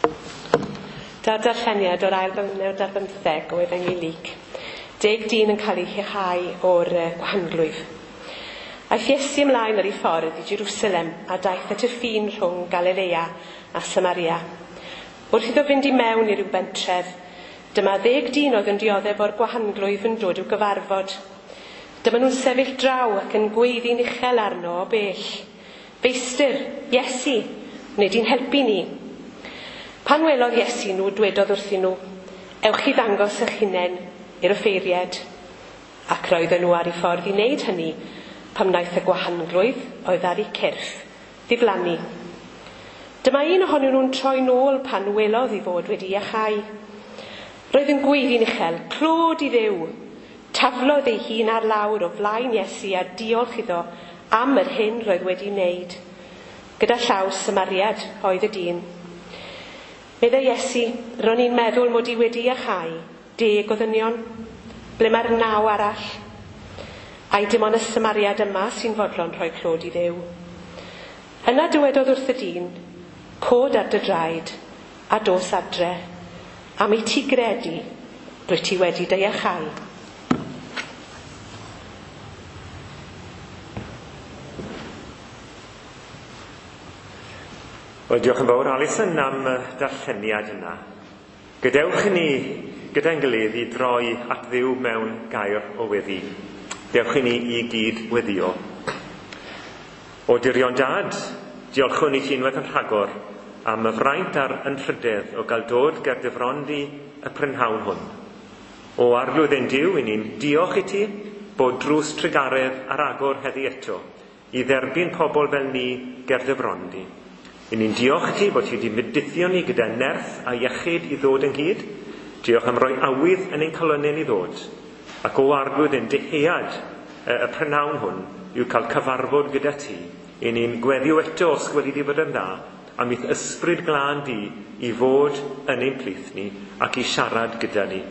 Da'r darlleniad o'r ail bennod ar bymtheg o Efengyl Luc. 10 dyn yn cael eu hiachau o'r gwahanglwyf. Aeth Iesu ymlaen ar ei ffordd i Jerusalem a daeth at y ffin rhwng Galilea a Samaria. Wrth iddo fynd i mewn i ryw bentref, dyma 10 dyn oedd yn dioddef o'r gwahanglwyf yn dod i'w gyfarfod. Dyma nhw'n sefyll draw ac yn gweiddi'n uchel arno o bell. Feistr, Iesu, wnei di'n helpu ni? Pan welodd Iesu nhw, dwedodd wrthyn nhw, ewch i ddangos eich hunain i'r offeiriad. Ac roedden nhw ar eu ffordd i wneud hynny pan wnaeth y gwahanglwydd oedd ar eu cyrff ddiflannu. Dyma un ohonyn nhw'n troi nôl pan welodd ei fod wedi iachau. Roedd yn gweiddi'n uchel, clod i Dduw. Taflodd ei hun ar lawr o flaen Iesu a diolch iddo am yr hyn roedd wedi wneud. Gyda llaw Samariad oedd y dyn. Meddai Iesu, ro'n i'n meddwl mod i wedi iachau 10 o ddynion. Ble mae'r 9 arall? Ai dim ond y Samariad yma sy'n fodlon rhoi clod i Dduw? Yna dywedodd wrth y dyn, cod ar dy draed a dos adre. Am i ti gredu, rwyt ti wedi dy iachau. Wel, diolch yn fawr Alison am y darlleniad yna. Gadewch i ni gyda'n gilydd i droi at Dduw mewn gair o weddi. Dewch i ni i gyd weddio. O dirion dad, diolchwn i ti unwaith yn rhagor am y fraint a'r anrhydedd o gael dod ger dy fron di y prynhawn hwn. O Arglwydd ein Duw, i ni'n diolch i ti bod drws trugaredd ar agor heddi eto i dderbyn pobl fel ni ger dy fron di. I ni'n diolch i ti bod ti wedi mydithio ni gyda nerth a iechyd i ddod ynghyd. Diolch am roi awydd yn ein calonnau ni ddod. Ac o Arglwydd ein dyhead y prynhawn hwn yw cael cyfarfod gyda ti. I ni'n gweddio eto os gweli di fod yn dda am i'th ysbryd glân di i fod yn ein plith ni ac i siarad gyda ni.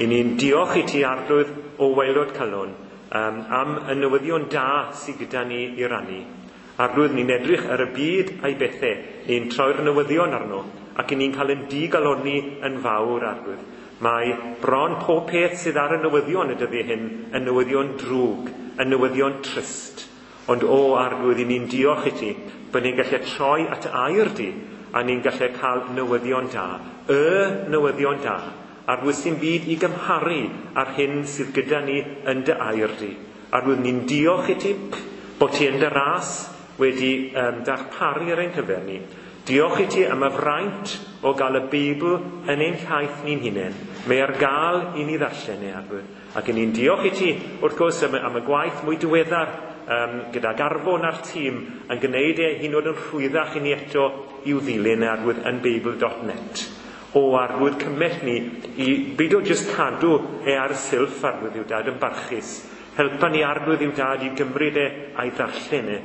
I ni'n diolch i ti Arglwydd o waelod calon am y newyddion da sydd gyda ni i rannu. Arglwydd, ni'n edrych ar y byd a'i bethau, ni'n troi'r newyddion arno, ac i ni'n cael ein digalonni yn fawr, Arglwydd. Mae bron pob peth sydd ar y newyddion y dyddiau hyn yn newyddion drwg, yn newyddion trist. Ond o Arglwydd, i ni'n diolch i ti bod ni'n gallu troi at air di, a ni'n gallu cael newyddion da, y newyddion da, Arglwydd sy'n byd i gymharu ar hyn sydd gyda ni yn dy air di. Arglwydd, ni'n diolch i ti bod ti yn dy ras wedi darparu ar ein cyfer ni. Diolch i ti am y fraint o gael y Beibl yn ein llaeth ni'n hunain. Mae ar gael i ni ddarllen e, Arglwydd. Ac i ni'n diolch i ti, wrth gwrs, am y gwaith mwy diweddar gyda Garfon a'r tîm yn gwneud e hyd yn oed yn rhwyddach i ni eto i'w ddilyn e, Arglwydd, yn beibl.net. O Arglwydd, cymell ni i beidio jyst cadw e ar y silff, Arglwydd yw dad, yn barchus. Helpa ni, Arglwydd yw dad, i gymryd e a'i ddarllen e,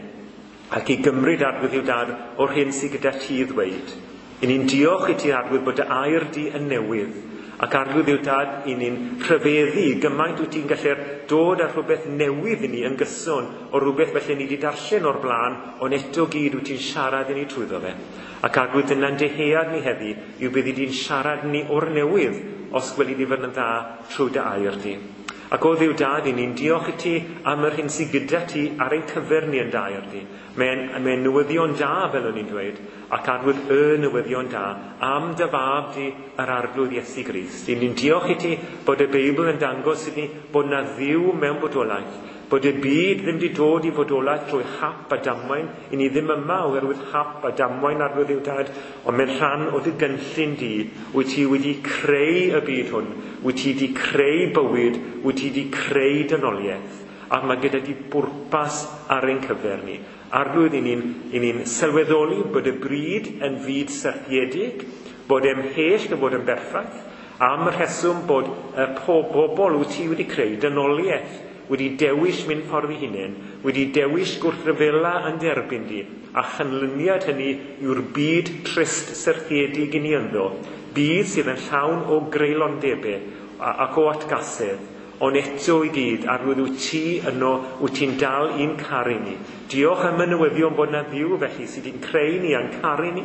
ac i gymryd Arglwydd yw dad o'r hyn sydd gyda ti i ddweud. I ni'n diolch i ti, Arglwydd, bod dy air di yn newydd, ac Arglwydd yw dad, i ni'n rhyfeddu gymaint wyt ti'n gallu dod â rhywbeth newydd i ni yn gyson o rhywbeth felly ni wedi darllen o'r blaen, ond eto gyd wyt ti'n siarad i ni trwyddo fe. Ac Arglwydd, dyna'n dyhead ni heddi yw byddi di'n siarad ni o'r newydd os gweli di fod yn dda trwy dy air di. Ac o Dduw dad, i ni'n diolch i ti am yr hyn sydd gyda ti ar ein cyfer ni yn dy air di. Mae'n newyddion da, fel o'n i'n dweud, ac Arglwydd y newyddion da am dy fab di yr Arglwydd Iesu Grist. I ni'n diolch i ti bod y Beibl yn dangos i ni bod na Dduw mewn bodolaeth, bod y byd ddim wedi dod i fodolaeth trwy hap a damwain. I ni ddim yma oherwydd hap a damwain, Arglwydd yw dad, ond mae'n rhan o dy gynllun di. Wyt ti wedi creu y byd hwn, wyt ti wedi creu bywyd, wyt ti wedi creu dynoliaeth, ac mae gyda di bwrpas ar ein cyfer ni. Arglwydd, i ni'n sylweddoli bod y bryd yn fyd syrthiedig, bod e'n mhell o fod yn berffaith, am y rheswm bod y pobl wyt ti wedi creu, dynoliaeth, wedi dewis mynd ffordd ei hunain, wedi dewis gwrthryfela yn derbyn di, a chanlyniad hynny yw'r byd trist syrthiedig i ni ynddo, byd sydd yn llawn o greulondebau ac o atgasedd. Ond eto i gyd, Arglwydd, wyt ti yno, wyt ti'n dal i'n caru ni. Diolch am y newyddion bod 'na Dduw felly sydd wedi'n creu ni a'n caru ni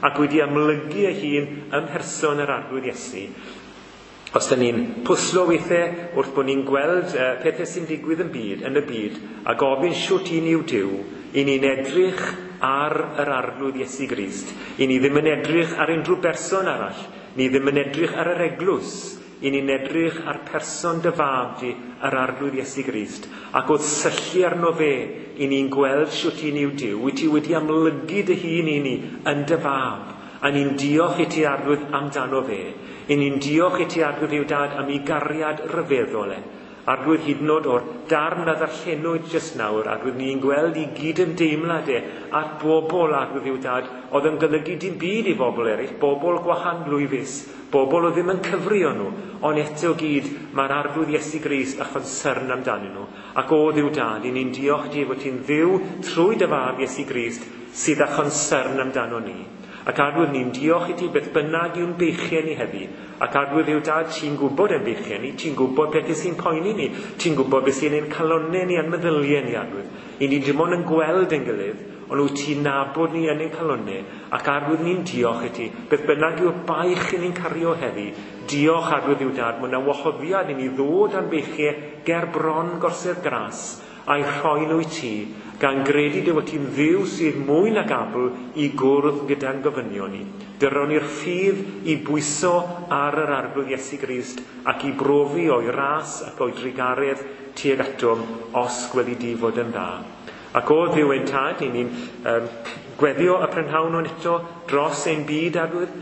ac wedi amlygu ei hun ym mherson yr Arglwydd Iesu. Os 'dan ni'n pwslo weithiau wrth bod ni'n gweld pethau sy'n digwydd yn y byd, a gofyn shwt un yw Duw, i ni'n edrych ar yr Arglwydd Iesu Grist. I ni ddim yn edrych ar unrhyw berson arall, ni ddim yn edrych ar yr eglwys, i ni'n edrych ar person dy fab di, yr Arglwydd Iesu Grist. Ac wrth syllu arno fe, i ni'n gweld shwt un yw Duw, wyt ti wedi amlygu dy hun i ni yn dy fab, a ni'n diolch i ti, Arglwydd, amdano fe. I ni'n diolch i ti, Arglwydd Dduw Dad, am ei gariad ryfeddol e. Arglwydd, hyd yn oed o'r darn a ddarllenwyd jyst nawr, Arglwydd, ni'n gweld i gydymdeimlad e at bobl, Arglwydd Dduw Dad, oedd yn golygu dim byd i bobl eraill, bobl gwahanglwyfus, bobl oedd ddim yn cyfri o nhw, ond eto gyd mae'r Arglwydd Iesu Grist a chonsyrn amdanyn nhw. Ac o Dduw Dad, i ni'n diolch ti fod ti'n Dduw trwy dy fab Iesu Grist sydd â chonsyrn amdano ni. Ac Arglwydd, ni'n diolch i ti beth bynnag yw'n beichiau ni heddi. Ac Arglwydd Dduw Dad, ti'n gwybod ein beichiau ni, ti'n gwybod pethau sy'n poeni ni, ti'n gwybod beth sy'n ein calonnau ni a'n meddyliau ni, Arglwydd. I ni dim ond yn gweld ein gilydd, ond wyt ti'n nabod ni yn ein calonnau. Ac Arglwydd, ni'n diolch i ti, beth bynnag yw'r baich i ni'n cario heddi, diolch Arglwydd Dduw Dad, mae yna wahoddiad i ni ddod â'n beichiau ger bron gorsedd gras, a'i rhoi nhw i ti, gan gredu dy fod ti'n Dduw sydd mwy nag abl i gwrdd gyda'n gofynion ni. Dyron ni'r ffydd i bwyso ar yr Arglwydd Iesu Grist ac i brofi o'i ras ac o'i drugaredd tuag atom os gweli di fod yn dda. Ac o Dduw ein Tad, i ni'n gweddio y prynhawn hwn eto dros ein byd, Arglwydd.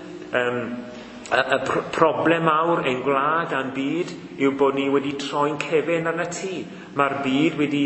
Y problem mawr ein gwlad a'n byd yw bod ni wedi troi'n cefen arna ti. Mae'r byd wedi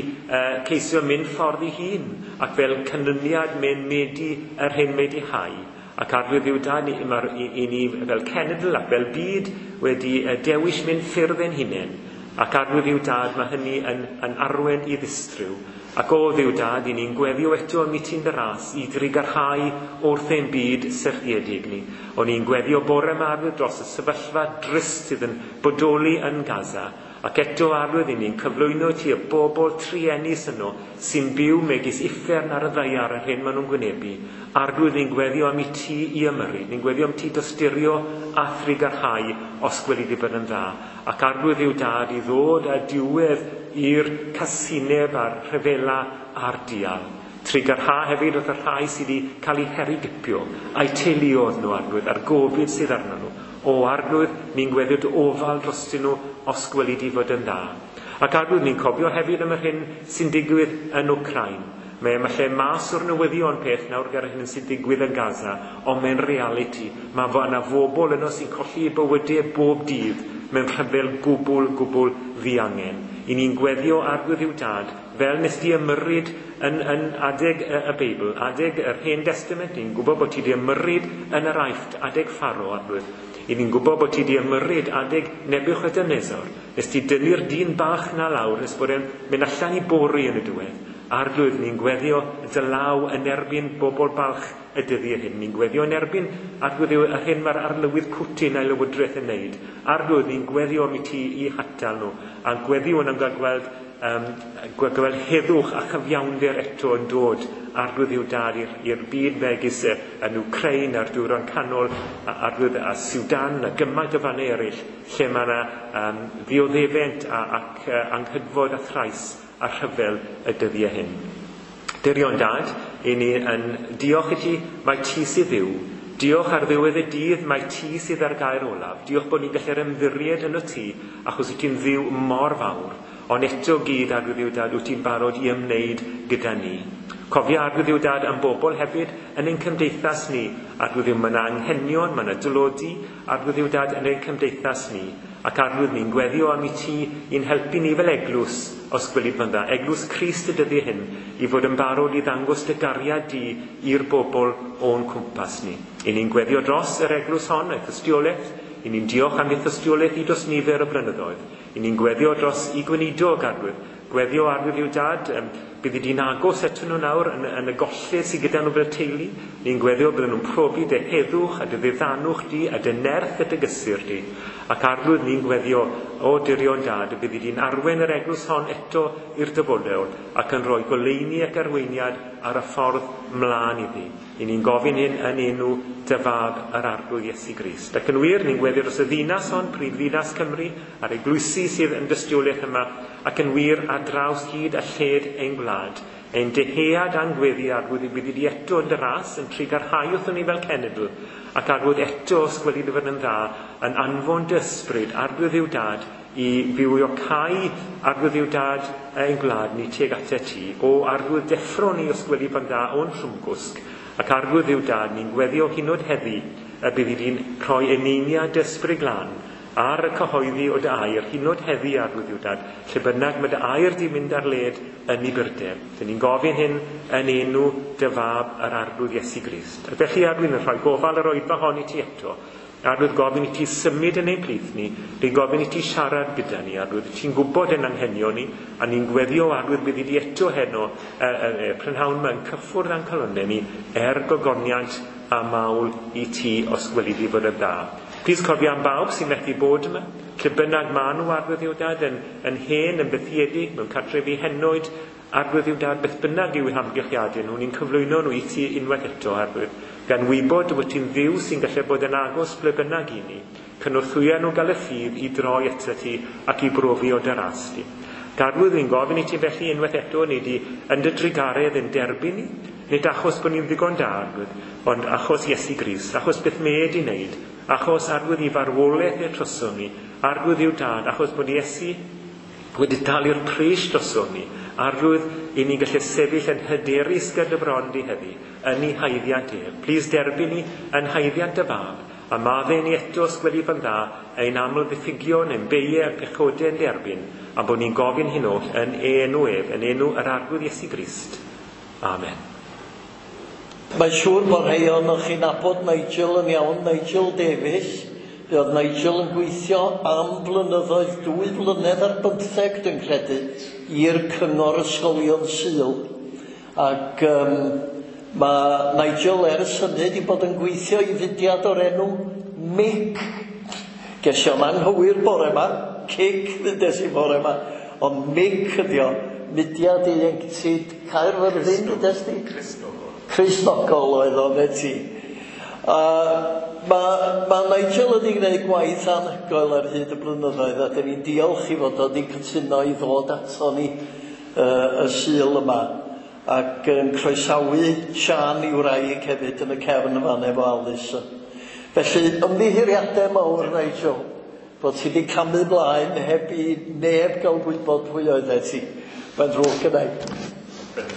ceisio mynd ffordd ei hun, ac fel canlyniad mae'n medi yr hyn wedi hau. Ac Arglwydd Dduw Dad, i ni fel cenedl ac fel byd wedi dewis mynd ffyrdd ein hunain. Ac Arglwydd Dduw Dad, mae hynny yn arwen i ddistryw. Ac o Dduw Dad, i ni'n gweddio eto am i ti'n dy ras i drugarhau wrth ein byd syrthiedig ni. O'n i'n gweddio bore yma, Arglwydd, dros y sefyllfa drist sydd yn bodoli yn Gaza. Ac eto, Arglwydd, i ni'n cyflwyno ti y bobl truenus yno sy'n byw megis uffern ar y ddaear yr hyn maen nhw'n gwynebu. Arglwydd, ni'n gweddio am i ti i ymyrryd, ni'n gweddio am ti dosturio a thrugarhau os gweli di bod yn dda. Ac Arglwydd Dduw Dad, i ddod â diwedd i'r casineb a'r rhyfela a'r dial. Trugarha hefyd wrth y rhai sydd wedi cael eu herwgipio, a'u teuluoedd nhw, Arglwydd, a'r gofid sydd arnyn nhw. O Arglwydd, ni'n gweddio dy ofal drostyn nhw os gweli di fod yn dda. Ac Arglwydd, ni'n cofio hefyd am yr hyn sy'n digwydd yn Wcráin. Mae yma lle mas o'r newyddion peth nawr gyda'r hyn sy'n digwydd yn Gaza, ond mae'n realiti. Mae yna fobl yno sy'n colli eu bywydau bob dydd mewn rhyfel gwbl, gwbl ddiangen. I ni'n gweddio Arglwydd Dduw Dad, fel nes di ymyrryd yn adeg y Beibl, adeg yr Hen Testament, ni'n gwybod bod ti di ymyrryd yn yr Aifft, adeg Pharaoh, Arglwydd. I ni'n gwybod bod ti di ymyrryd adeg Nebiwchadynosor, nes ti dynnu'r dyn bach na lawr, nes bod e'n mynd allan i bori yn y diwedd. Arglwydd, ni'n gweddio dy law yn erbyn bobl balch y dyddiau hyn. Ni'n gweddio yn erbyn, Arglwydd, yr hyn mae'r arlywydd Putin a'i lywodraeth yn wneud. Arglwydd, ni'n gweddio am i ti i hatal nhw, a gweddio yn am gweld heddwch a chyfiawnder eto yn dod, Arglwydd Dduw Dad, i'r byd megis yn Wcráin a'r Dwyrain Canol, Arglwydd, a Sudan a gymaint o fannau eraill lle mae yna ddioddefent ac anghydfod a thrais a rhyfel y dyddiau hyn. Dirion Dad, i ni yn diolch i ti, mae ti sydd Dduw. Diolch ar ddiwedd y dydd, mae ti sydd ar gair olaf. Diolch bod ni'n gallu'r ymddiried yno ti, achos wyt ti'n Dduw mor fawr. Ond eto gyd, Arglwydd Dduw Dad, wyt ti'n barod i ymwneud gyda ni. Cofia, Arglwydd Dduw Dad, am bobl hefyd yn ein cymdeithas ni. Arglwydd Dduw, mae yna anghenion, mae yna dylodi, Arglwydd Dduw Dad, yn ein cymdeithas ni. Ac Arglwydd, ni'n gweddio am i ti i'n helpu ni fel eglwys, os gweli yn dda, eglwys Crist y dyddiau hyn, i fod yn barod i ddangos dy gariad di i'r bobl o'n cwmpas ni. I ni'n gweddio dros yr eglwys hon, ei thystiolaeth, i ni'n diolch am ei thystiolaeth i dros nifer o blynyddoedd. I ni'n gweddio dros i gweinidog, Arglwydd. Gweddio, Arglwydd Dduw Dad, Byddi di'n agos ato nhw nawr yn y golled sydd gyda nhw fel teulu. Ni'n gweddio bydden nhw'n profi dy heddwch a dy ddiddanwch di a dy nerth a dy gysur di. Ac Arglwydd, ni'n gweddio o dirion dad y byddi di'n arwain yr eglwys hon eto i'r dyfodol ac yn rhoi goleuni ac arweiniad ar y ffordd mlaen iddi. I ni'n gofyn hyn yn enw dy fab yr Arglwydd Iesu Grist. Ac yn wir, ni'n gweddio dros y ddinas hon, prif ddinas Cymru, a'r eglwysi sydd yn dystiolaeth yma, ac yn wir ar draws hyd a lled ein gwlad. Ein dyhead a'n gweddi, Arglwydd, y byddi di eto yn dy ras, yn trugarhau wrthon ni fel cenedl, ac Arglwydd eto, os gweli dy fod yn dda, yn anfon dy ysbryd, Arglwydd yw dad, i fywiocau Arglwydd yw dad ein gwlad ni tuag atat ti. O Arglwydd, deffro ni os gweli fan dda o'n trwmgwsg, ac Arglwydd yw dad, ni'n gweddio hynod heddi, y byddi di'n rhoi eneiniad dy ysbryd glân ar y cyhoeddi o dy air, hynod heddi Arglwydd yw dad, lle bynnag mae dy air di mynd ar led yn ei byrder. Dyn ni'n gofyn hyn yn enw dy fab yr Arglwydd Iesu Grist. Ac felly Arglwydd yn rhoi gofal yr oedfa hon i ti eto. Arglwydd gofyn i ti symud yn ein plith ni, ni'n gofyn i ti siarad gyda ni, Arglwydd, ti'n gwybod ein anghenion ni, a ni'n gweddio Arglwydd byddi di eto heno, prynhawn yma yn cyffwrdd â'n calonnau ni, er gogoniant a mawl i ti os gweli di fod yn dda. Plis cofio am bawb sy'n methu bod yma, lle bynnag maen nhw Arglwydd yw dad, yn hen, yn bethiedig, mewn cartrefi henoed, Arglwydd yw dad, beth bynnag yw eu hamgylchiadau nhw, ni'n cyflwyno nhw i ti unwaith eto, Arglwydd, gan wybod dy fod ti'n Dduw sy'n gallu bod yn agos ble bynnag i ni, cynorthwya nhw gael y ffydd i droi ato ti ac i brofi o dy ras di. Arglwydd, ni'n gofyn i ti felly unwaith eto, ni di yn dy drugaredd yn derbyn ni, nid achos bod ni'n ddigon da, Arglwydd, ond achos Iesu Grist, achos beth mae e di wneud, achos Arglwydd i farwolaeth e troson ni, Arglwydd yw dad, achos bod Iesu wedi talu'r pris droson ni, Arglwydd i ni'n gallu sefyll yn hyderus gyda bron di heddi, yn ei haeddiant ef. Plis derbyn ni yn haeddiant y fab, a maddau ni eto os gweli fan dda, ein aml ddiffygion, ein beiau a'n pechodau yn derbyn, a bod ni'n gofyn hyn oll yn enw ef, yn enw yr Arglwydd Iesu Grist. Amen. Mae'n siŵr bod rhai ohonoch chi'n nabod Nigel yn iawn, Nigel Davies. Fe oedd Nigel yn gweithio am flynyddoedd, 2 blynedd ar 15 dwi'n credu, i'r Cyngor Ysgolion Sul. Ac mae Nigel ers hynny wedi bod yn gweithio i fudiad o'r enw MIC. Ges i o'n anghywir bore yma, cic ddudes i bore yma, ond MIC ydi o, Mudiad Ieuenctid Caerfyrddin, ddudes di? Cristnogol oedd o, ne ti. Mae Nigel wedi gwneud gwaith anhygoel ar hyd y blynyddoedd, a dyn ni'n diolch i fod o wedi cytuno i ddod ato ni y Sul yma, ac yn croesawu Sian i wraig hefyd yn y cefn yma efo Alys. Felly, ymddiheuriadau mawr, Nigel, bod ti wedi camu mlaen heb i neb gael gwybod pwy oeddet ti. Mae'n ddrwg gynna i.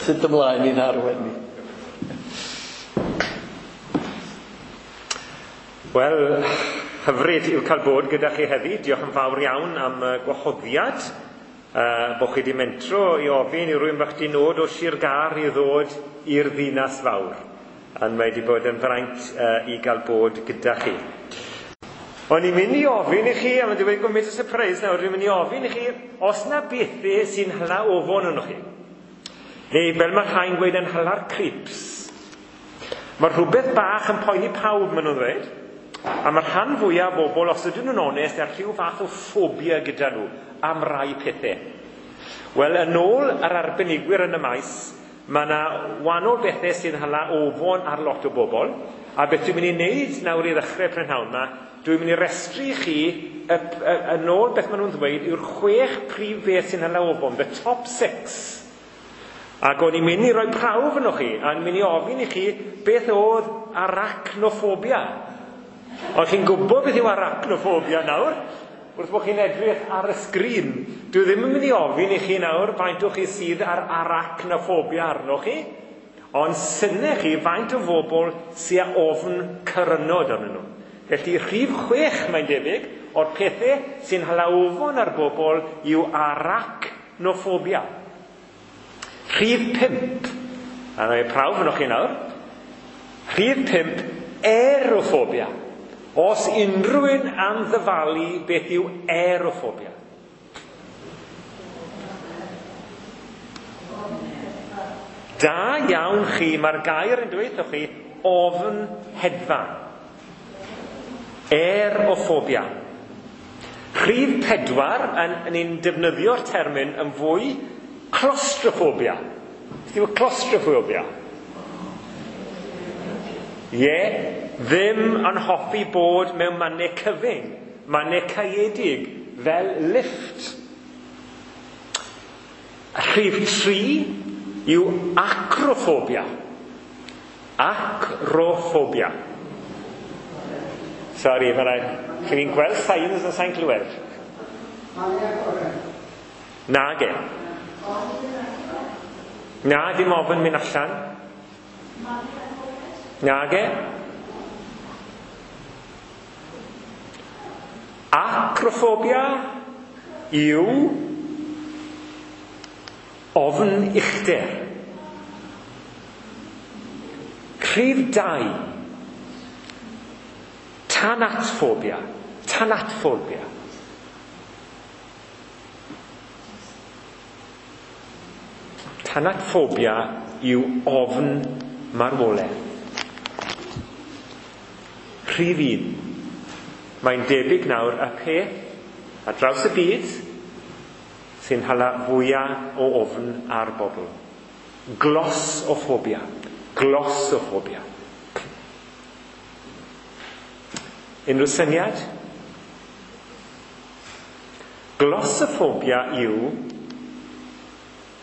Sut ymlaen i'n arwain ni. Wel, hyfryd yw cael bod gyda chi heddi. Diolch yn fawr iawn am gwahoddiad. Bod chi wedi mentro i ofyn i rywun bach di nod o Sir Gâr i ddod i'r ddinas fawr. Ond mae wedi bod yn fraint i gael bod gyda chi. O'n i'n mynd i ofyn i chi, a mae'n dweud gwmys o surprise nawr, dwi'n mynd i ofyn i chi, os na bethau sy'n hala ofon yno chi. Neu fel mae rhai'n gweud yn hala'r creeps. Mae rhywbeth bach yn poeni pawb, maen nhw'n dweud. A mae'r rhan fwyaf o bobl, os ydyn nhw'n onest, ar rhyw fath o ffobia gyda nhw am rai pethau. Wel, yn ôl yr arbenigwyr yn y maes, mae yna wahanol bethau sy'n hala ofon ar lot o bobl. A beth dwi'n mynd i wneud nawr i ddechrau prynhawn yma, dwi'n mynd i restru i chi, yn ôl beth maen nhw'n ddweud, yw'r 6 prif beth sy'n hala ofon, the top 6. Ac o'n i'n mynd i roi prawf yno chi, a o'n i'n mynd i ofyn i chi beth oedd arachnophobia. Ond chi'n gwybod beth yw arachnophobia nawr, wrth bod chi'n edrych ar y sgrin. Dwi ddim yn mynd i ofyn i chi nawr faint o chi sydd ar arachnophobia arnoch chi, ond synnech chi faint o bobl sydd â ofn cyrynod arnyn nhw. Felly rhif 6 mae'n debyg o'r pethau sy'n hala ofon ar bobl yw arachnophobia. Rhif 5, a mae prawf yno chi nawr, rhif 5, aerophobia. Os unrhyw un am ddyfalu beth yw aerophobia. Da iawn chi, mae'r gair yn dweud wrthoch chi, ofn hedfan. Aerophobia. Rhif 4, ni'n defnyddio'r termyn yn fwy, claustrophobia. Beth yw claustrophobia? Ie, ddim yn hoffi bod mewn mannau cyfyng, mannau caeedig, fel lift. Rhif 3 yw acrophobia. Acrophobia. Sori, mae rhaid. Chi'n gweld signs yn sa'n clywed? Nage. Na, dim ofn mynd allan. Nage. Acrophobia yw ofn uchder. Rhif 2. Tanatphobia. Tanatphobia. Tanatphobia yw ofn marwolaeth. Rhif 1. Mae'n debyg nawr y peth ar draws y byd sy'n hala fwyaf o ofn ar bobl. Glossophobia. Glossophobia. Unrhyw syniad? Glossophobia yw,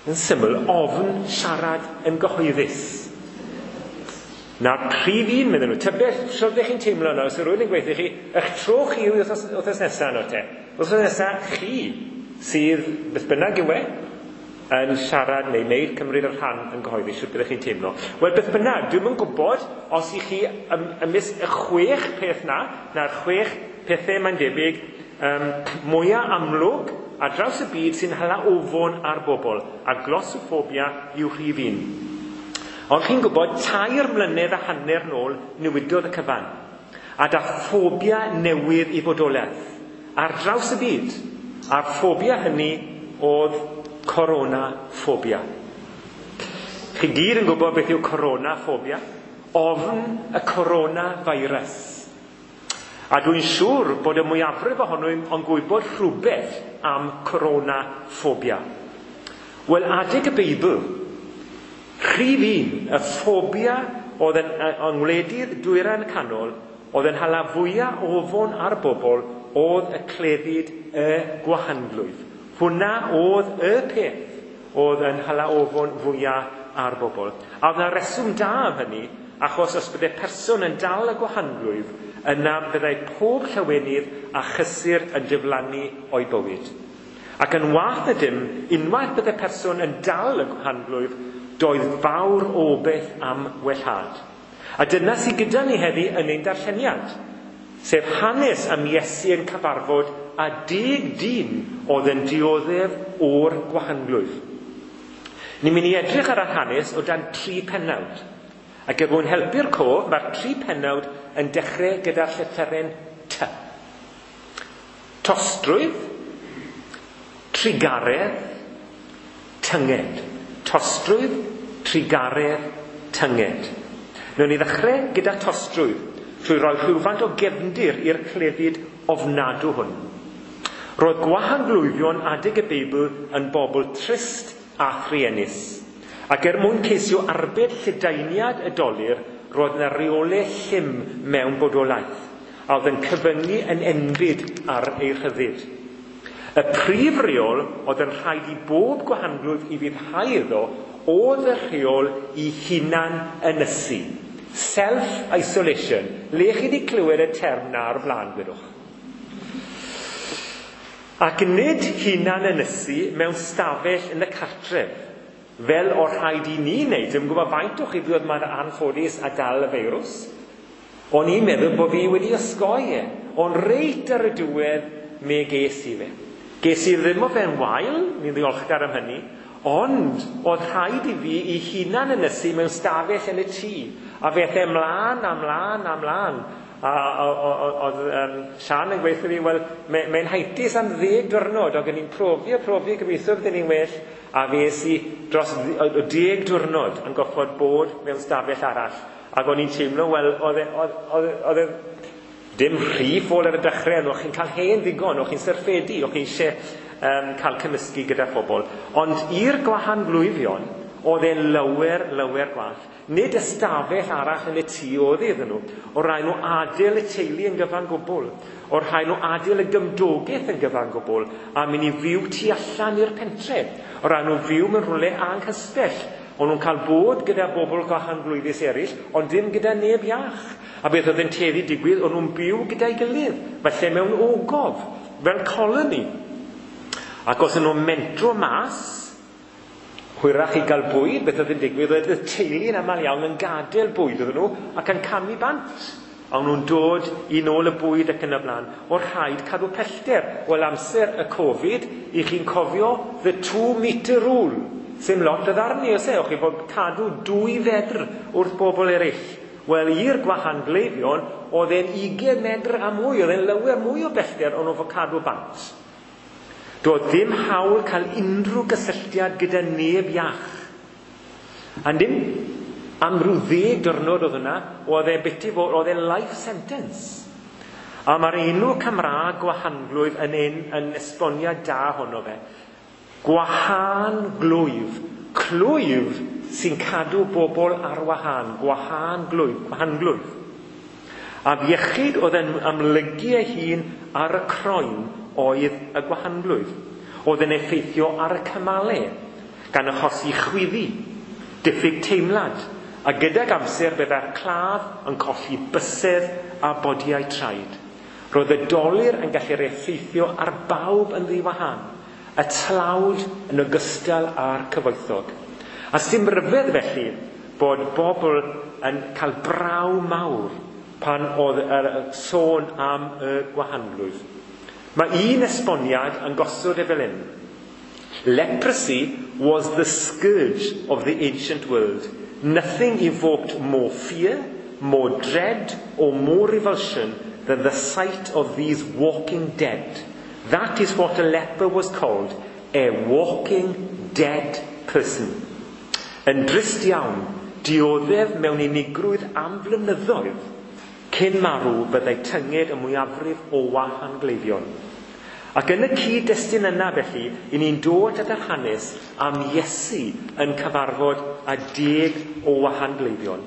yn syml, ofn siarad yn gyhoeddus. Na'r prif un, meddyn nhw. Tybed, sut ydych chi'n teimlo nawr, os yw rhywun yn gweithio chi, eich tro chi yw wythnos nesaf nawr te. Wythnos nesaf chi sydd, beth bynnag yw e, yn siarad neu wneud cymryd yr rhan yn gyhoeddus, sut byddech chi'n teimlo. Wel, beth bynnag, dwi'm yn gwybod os i chi ymysg y 6 peth na, na'r 6 pethau mae'n debyg, mwyaf amlwg ar draws y byd sy'n hala ofon ar bobl, a glossophobia yw rhif 1. Ond chi'n gwybod, 3 mlynedd a hanner nôl newidodd y cyfan, a da ffobia newydd i fodolaeth ar draws y byd, a'r ffobia hynny oedd coronaphobia. Chi gyd yn gwybod beth yw coronaphobia? Ofn y coronavirus. A dwi'n siŵr bod y mwyafrif ohono yn gwybod rhywbeth am coronaphobia. Wel, adeg y Beibl, rhif 1, y ffobia oedd yn ngwledydd Dwyrain Canol, oedd yn hala fwyaf ofon ar bobl, oedd y clefyd y gwahanglwyf. Hwna oedd y peth oedd yn hala ofon fwyaf ar bobl. A oedd yna reswm da am hynny, achos os byddai person yn dal y gwahanglwyf, yna byddai pob llawenydd a chysur yn diflannu o'i bywyd. Ac yn wath na dim, unwaith byddai person yn dal y gwahanglwyf, doedd fawr o beth am wellhad. A dyna sydd gyda ni heddi yn ein darlleniad, sef hanes am Iesu yn cyfarfod a 10 dyn oedd yn dioddef o'r gwahanglwyf. Ni'n mynd i edrych ar yr hanes o dan 3 pennawd. Ac er mwyn helpu'r cof, mae'r 3 pennawd yn dechrau gyda'r llythyren T. Tostrwydd, trugaredd, tynged. Tostrwydd, trugaredd, tynged. Newn ni ddechrau gyda tostrwydd, trwy roi rhywfaint o gefndir i'r clefyd ofnadw hwn. Roedd gwahanglwyfion adeg y Beibl yn bobl trist a thruenus. Ac er mwyn ceisio arbed lledaeniad y dolur, roedd yna reolau llym mewn bodolaeth, a oedd yn cyfyngu yn enbyd ar ei rhyddid. Y prif reol oedd yn rhaid i bob gwahanglwyf i fuddhau iddo oedd y rheol i hunan ynysu. Self-isolation. Le chi wedi clywed y term na o'r blaen, gwedwch? Ac nid hunan ynysu mewn stafell yn y cartref, fel o'r rhaid i ni wneud. Dwi'm yn gwybod faint o chi fuodd mor anffodus a dal y feirws. O'n i'n meddwl bod fi wedi osgoi e, ond reit ar y diwedd me ges i fe. Ges i ddim o fe'n wael, ni'n ddiolchgar am hynny, ond oedd rhaid i fi i hunan ynysu mewn stafell yn y tŷ, a fe aeth e mlaen a mlaen a mlaen. A oedd Sian yn gweithio fi, wel, mae'n heintus am 10 diwrnod, ac o'n i'n profi a profi, gobeithio bydden ni'n well, A fe es i dros 10 diwrnod yn goffod bod mewn stafell arall. Ac o'n i'n teimlo, wel, oedd e dim rhy ffôl ar y dechrau, ond o'ch chi'n cael hen ddigon, o'ch chi'n syrffedu, o'ch chi eisiau cael cymysgu gyda phobl. Ond i'r gwahanglwyfion, oedd e'n lawer, lawer gwall. Nid ystafell arall yn y tŷ oedd iddyn nhw. O rhaid nhw adael y teulu yn gyfan gwbl. O rhaid nhw adael y gymdogaeth yn gyfan gwbl a mynd i fyw tu allan i'r pentre. O rhaid nhw fyw mewn rhywle anghysbell. O'n nhw'n cael bod gyda bobl gwahanglwyfus eraill, ond dim gyda neb iach. A beth oedd yn tueddu digwydd, o'n nhw'n byw gyda'i gilydd, falle mewn ogof, fel colony. Ac os o'n nhw'n mentro mas, hwyrach i gael bwyd, beth oedd yn digwydd, oedd y teulu yn aml iawn yn gadael bwyd iddyn nhw ac yn camu bant. A o'n nhw'n dod i nôl y bwyd ac yn y blaen. O'r rhaid cadw pellter. Wel, amser y Covid, i chi'n cofio the 2 metre rule. Sim lot o ddarni, oes e? O'ch chi fod cadw 2 fedr wrth bobl eraill. Wel, i'r gwahangleifion, oedd e'n 20 medr a mwy, oedd e'n lawer mwy o bellter o'n nhw'n fod cadw bant. Doedd ddim hawl cael unrhyw gysylltiad gyda neb iach. A dim am ryw 10 diwrnod oedd yna, oedd e biti fod, oedd e life sentence. A mae'r enw Cymraeg gwahanglwyf yn esboniad da honno fe. Gwahanglwyf. Clwyf sy'n cadw bobl ar wahân. Gwahan glwyf, gwahanglwyf. A iechyd oedd yn amlygu ei hun ar y croen oedd y gwahanglwyf. Oedd yn effeithio ar y cymalau, gan achosi chwyddi, diffyg teimlad, a gydag amser byddai'r claf yn colli bysedd a bodiau traed. Roedd y dolur yn gallu'r effeithio ar bawb yn ddiwahan, y tlawd yn ogystal â'r cyfoethog. A sy'n ryfedd felly bod bobl yn cael braw mawr pan oedd yr sôn am y gwahanglwyf. Mae un esboniad yn gosod e fel hyn. "Leprosy was the scourge of the ancient world. Nothing evoked more fear, more dread, or more revulsion than the sight of these walking dead. That is what a leper was called, a walking dead person." Yn drist iawn, dioddef mewn unigrwydd am flynyddoedd cyn marw byddai tynged y mwyafrif o wahangleifion. Ac yn y cyd-destun yna felly, i ni'n dod at yr hanes am Iesu yn cyfarfod â 10 o wahangleifion.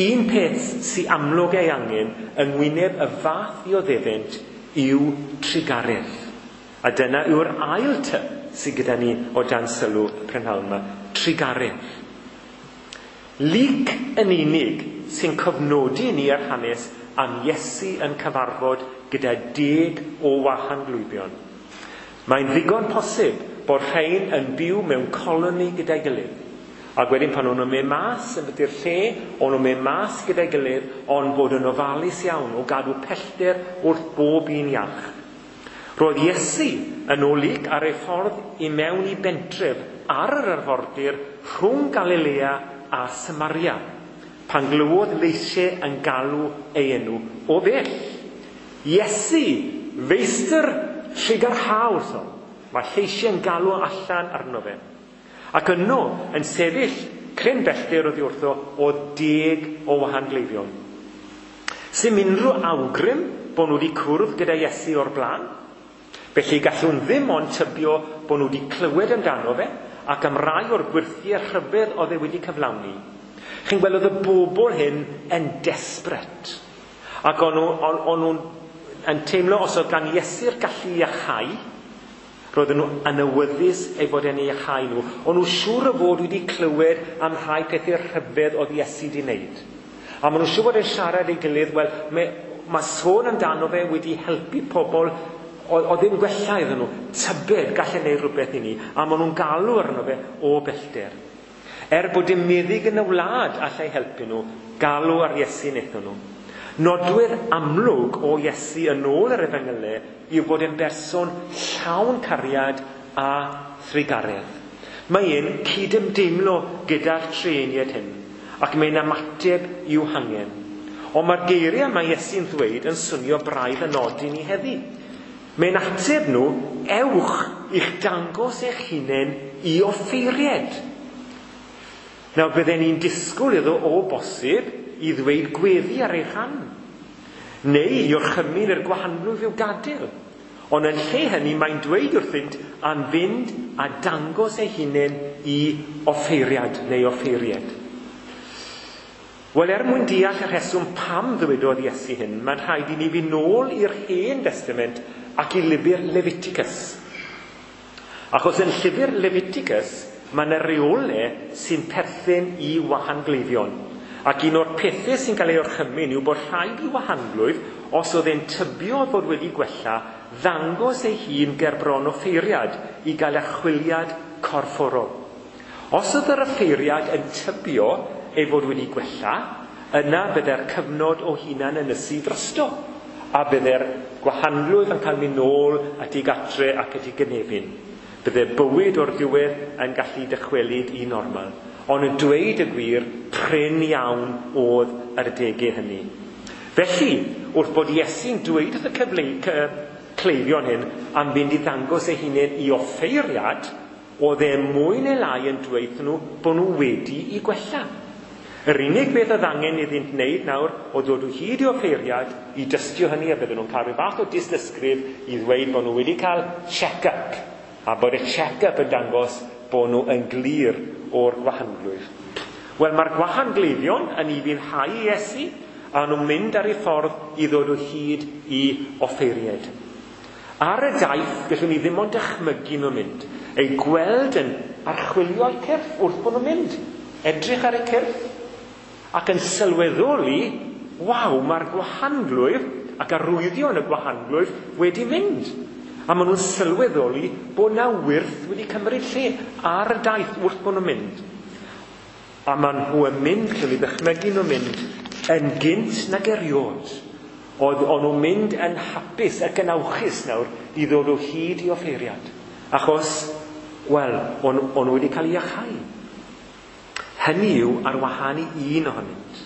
Un peth sy'n amlwg ei angen yng ngwyneb y fath ddioddefent yw trugaredd. A dyna yw'r ail T sydd gyda ni o dan sylw y prynhawn yma. Trugaredd. Luc yn unig sy'n cofnodi ni ar hanes am Iesu yn cyfarfod gyda 10 o wahanglwyfion. Mae'n ddigon posib bod rhain yn byw mewn coloni gyda'i gilydd. Ac wedyn pan o'n nhw'n mynd mas yn byty'r lle, o'n nhw'n mynd mas gyda'i gilydd, ond bod yn ofalus iawn o gadw pellter wrth bob un iach. Roedd Iesu yn ôl Luc ar ei ffordd i mewn i bentref ar yr arfordir rhwng Galilea a Samaria, pan glywodd leisiau yn galw ei enw o bell. "Iesu, feistr, trugarha wrthom." Mae lleisiau yn galw allan arno fe. Ac yno, yn sefyll cryn bellter oddi wrtho, oedd 10 o wahangleifion. Sim unrhyw awgrym bod nhw wedi cwrdd gyda Iesu o'r blaen. Felly gallwn ddim ond tybio bod nhw wedi clywed amdano fe ac am rai o'r gwyrthiau rhyfedd oedd e wedi cyflawni. Chi'n gweld, oedd y bobl hyn yn desperate. Ac o'n nhw'n yn teimlo os oedd gan Iesu'r gallu i iachau, roedden nhw yn awyddus ei fod e'n ei iachau nhw. O'n nhw siŵr o fod wedi clywed am rhai pethau rhyfedd oedd Iesu wedi wneud. A maen nhw'n siŵr bod yn siarad ei gilydd, wel, mae sôn amdano fe wedi helpu pobl oedd ddim gwella iddyn nhw. Tybed gallu gwneud rhywbeth i ni. A maen nhw'n galw arno fe o bellter. Er bod dim meddyg yn y wlad allai helpu nhw, galw ar Iesu wnaethon nhw. Nodwedd amlwg o Iesu yn ôl yr efengylau yw bod e'n berson llawn cariad a thrugaredd. Mae e'n cydymdeimlo gyda'r trueiniaid hyn, ac mae'n ymateb i'w hangen. Ond mae'r geiriau mae Iesu'n ddweud yn swnio braidd yn od i ni heddi. Mae'n ateb nhw. ewch i'ch dangos eich hunain i offeiried. Nawr, bydden ni'n disgwyl iddo o bosib i ddweud gweddi ar ei rhan, neu i orchymyn i'r gwahanglwyf i'w gadael. Ond yn lle hynny, mae'n dweud wrthynt am fynd a dangos ei hunain i offeiriad neu offeiried. Wel, er mwyn deall y rheswm pam ddywedodd Iesu hyn, mae'n rhaid i ni fynd nôl i'r Hen Testament ac i lyfr Leviticus. Achos yn llyfr Leviticus, mae yna reolau sy'n perthyn i wahangleifion. Ac un o'r pethau sy'n cael ei orchymyn yw bod rhaid i wahanglwyf, os oedd e'n tybio fod wedi gwella, ddangos ei hun ger bron offeiriad i gael archwiliad corfforol. Os oedd yr offeiriad yn tybio ei fod wedi gwella, yna bydde'r cyfnod o hunan ynysu drosto, a bydde'r gwahanglwyf yn cael mynd nôl at ei gatre ac at ei gynefin. Bydde bywyd o'r diwedd yn gallu dychwelyd i normal. Ond yn dweud y gwir, prin iawn oedd yr adegau hynny. Felly, wrth bod Iesu'n dweud wrth y cleifion hyn am fynd i ddangos ei hunain i offeiriad, oedd e mwy neu lai yn dweud nhw bod nhw wedi i gwella. Yr unig beth oedd angen iddynt wneud nawr oedd dod o hyd i offeiriad i dystio hynny, a bydden nhw'n cael rhyw fath o dystysgrif i ddweud bod nhw wedi cael check-up, a bod y check-up yn dangos bod nhw yn glir o'r gwahanglwyf. Wel, mae'r gwahangleifion yn ufuddhau i Iesu, a nhw'n mynd ar eu ffordd i ddod o hyd i offeiried. Ar y daith, gallwn ni ddim ond dychmygu nhw'n mynd, eu gweld yn archwilio eu cyrff wrth bod nhw'n mynd, edrych ar eu cyrff, ac yn sylweddoli, waw, mae'r gwahanglwyf ac arwyddion y gwahanglwyf wedi mynd. A maen nhw'n sylweddoli bod na wyrth wedi cymryd lle ar y daith wrth bod nhw'n mynd. A maen nhw yn mynd, gallwn ni ddychmygu nhw'n mynd, yn gynt nag erioed. Oedd o'n nhw'n mynd yn hapus ac yn awchus nawr i ddod o hyd i offeiriad. Achos, wel, o'n nhw wedi cael eu iachau. Hynny yw ar wahân i un ohonynt.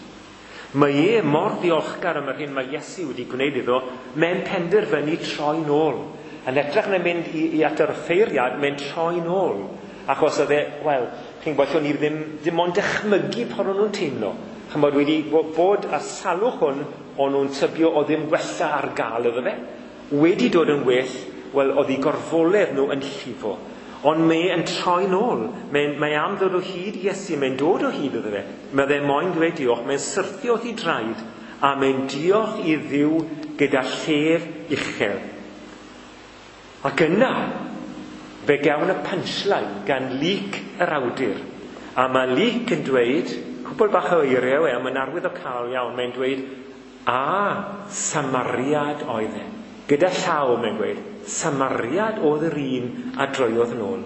Mae e mor ddiolchgar am yr hyn mae Iesu wedi gwneud iddo, mae'n penderfynu troi nôl. Yn edrych na mynd i at yr offeiriad, mae'n troi nôl. Achos oedd e, wel, chi'n gwybod, ni ddim, dim ond dychmygu pan o'n nhw'n teimlo. Chymod, wedi bod y salwch hwn, o'n nhw'n tybio o ddim gwella ar gael iddo fe. Wedi dod yn well, wel, oedd eu gorfoledd nhw yn llifo. Ond mae yn troi nôl. Mae am ddod o hyd i Iesu, mae'n dod o hyd iddo fe. Mae fe moyn dweud diolch, mae'n syrthio wrth ei draed, a mae'n diolch i Dduw gyda llef uchel. Ac yna, fe gawn y punchline gan Luc yr awdur. A mae Luc yn dweud, cwbl bach o eiriau e, mae'n arwyddocaol iawn, mae'n dweud, a Samariad oedd e. Gyda llaw, mae'n gweud, Samariad oedd yr un a droiodd nôl.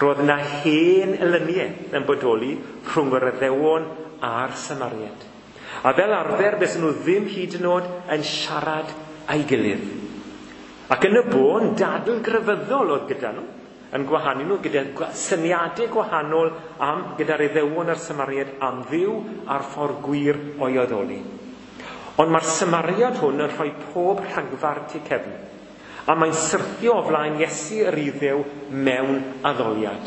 Roedd yna hen elyniaeth yn bodoli rhwng yr Iddewon a'r Samariad. A fel arfer, bys nhw ddim hyd yn oed yn siarad â'i gilydd. Ac yn y bôn, dadl grefyddol oedd gyda nhw, yn gwahanu nhw gyda syniadau gwahanol am, gyda'r Iddewon a'r Samariad am Dduw a'r ffordd gwir o'i addoli. Ond mae'r Samariad hwn yn rhoi pob rhagfarn tu cefn, a mae'n syrthio o flaen Iesu yr Iddew mewn addoliad.